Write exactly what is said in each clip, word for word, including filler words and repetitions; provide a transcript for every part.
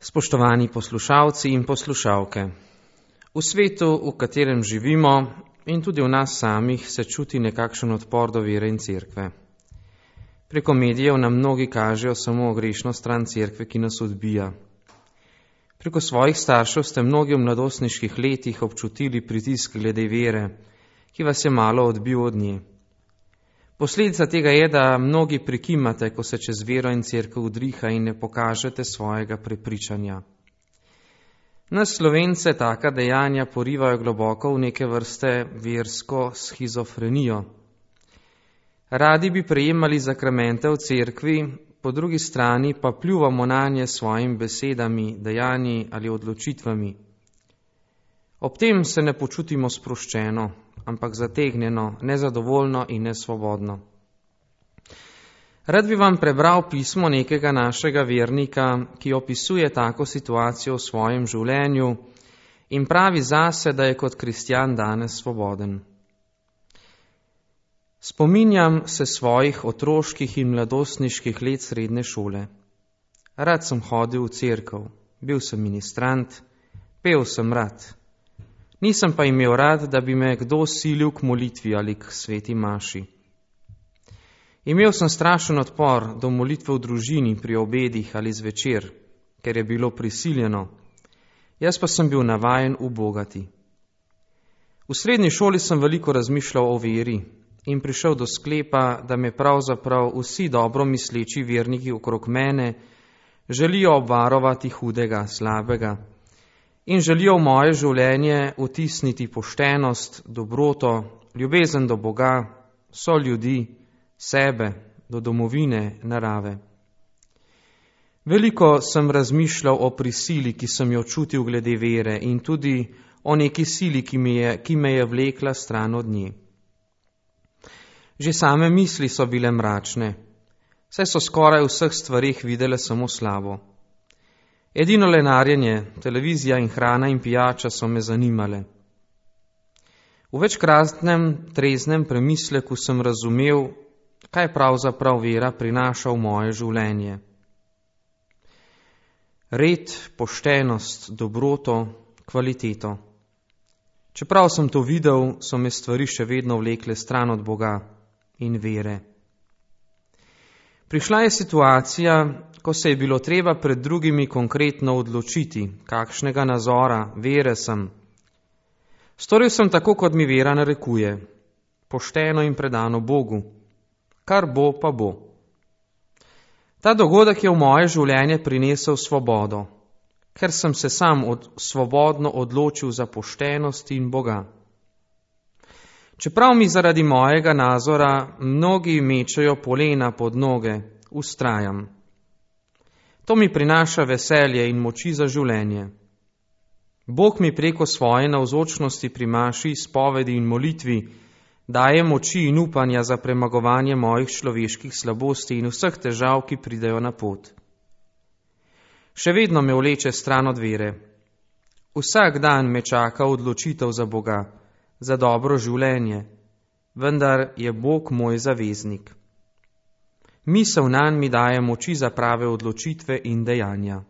Spoštovani poslušalci in poslušalke, v svetu, v katerem živimo in tudi v nas samih, se čuti nekakšen odpor do vere in cerkve. Preko medijev nam mnogi kažejo samo grešno stran cerkve, ki nas odbija. Preko svojih staršev ste mnogi v mladostniških letih občutili pritisk glede vere, ki vas je malo odbil od nje. Posledica tega je, da mnogi prikimate, ko se čez vero in cerkev udriha in ne pokažete svojega prepričanja. Nas Slovence taka dejanja porivajo globoko v neke vrste versko shizofrenijo. Radi bi prejemali zakramente v cerkvi, po drugi strani pa pljuvamo nanje s svojimi besedami, dejanji ali odločitvami. Ob tem se ne počutimo sproščeno, ampak zategnjeno, nezadovoljno in nesvobodno. Rad bi vam prebral pismo nekega našega vernika, ki opisuje tako situacijo v svojem življenju in pravi zase, da je kot kristjan danes svoboden. Spominjam se svojih otroških in mladostniških let srednje šole. Rad sem hodil v cerkev, bil sem ministrant, pel sem rad. Nisem pa imel rad, da bi me kdo silil k molitvi ali k sveti maši. Imel sem strašen odpor do molitve v družini pri obedih ali zvečer, ker je bilo prisiljeno. Jaz pa sem bil navajen ubogati. V srednji šoli sem veliko razmišljal o veri in prišel do sklepa, da me pravzaprav vsi dobro misleči verniki okrog mene želijo obvarovati hudega, slabega, in želijo v moje življenje vtisniti poštenost, dobroto, ljubezen do Boga, so ljudi, sebe, do domovine, narave. Veliko sem razmišljal o prisili, ki sem jo čutil glede vere, in tudi o neki sili, ki me je, ki me je vlekla stran od nje. Že same misli so bile mračne, saj so skoraj v vseh stvarih videle samo slabo. Edino lenarjenje, televizija in hrana in pijača so me zanimale. V večkratnem treznem premisleku sem razumel, kaj pravzaprav vera prinaša v moje življenje. Red, poštenost, dobroto, kvaliteto. Čeprav sem to videl, so me stvari še vedno vlekle stran od Boga in vere. Prišla je situacija, ko se je bilo treba pred drugimi konkretno odločiti, kakšnega nazora, vere sem. Storil sem tako, kot mi vera narekuje, pošteno in predano Bogu. Kar bo, pa bo. Ta dogodek je v moje življenje prinesel svobodo, ker sem se sam od, svobodno odločil za poštenost in Boga. Čeprav mi zaradi mojega nazora mnogi mečejo polena pod noge, vztrajam. To mi prinaša veselje in moči za življenje. Bog mi preko svoje navzočnosti pri maši, spovedi in molitvi daje moči in upanja za premagovanje mojih človeških slabosti in vseh težav, ki pridejo na pot. Še vedno me vleče stran od vere. Vsak dan me čaka odločitev za Boga, za dobro življenje, vendar je Bog moj zaveznik. Misel nanj mi daje moči za prave odločitve in dejanja.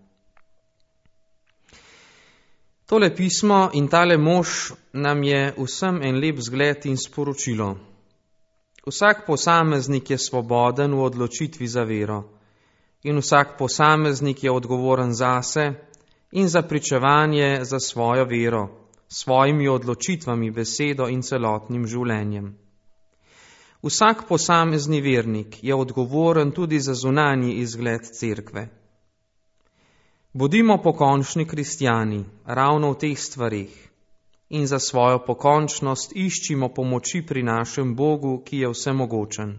Tole pismo in tale mož nam je vsem en lep zgled in sporočilo. Vsak posameznik je svoboden v odločitvi za vero in vsak posameznik je odgovoren zase in za pričevanje za svojo vero, svojimi odločitvami, besedo in celotnim življenjem. Vsak posamezni vernik je odgovoren tudi za zunanji izgled cerkve. Bodimo pokončni kristjani ravno v teh stvarih in za svojo pokončnost iščimo pomoči pri našem Bogu, ki je vsemogočen.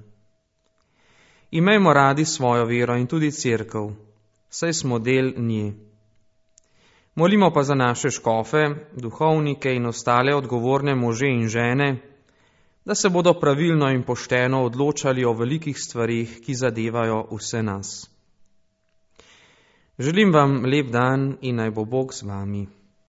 Imejmo radi svojo vero in tudi cerkev, saj smo del nje. Molimo pa za naše škofe, duhovnike in ostale odgovorne može in žene, da se bodo pravilno in pošteno odločali o velikih stvarih, ki zadevajo vse nas. Želim vam lep dan in naj bo Bog z vami.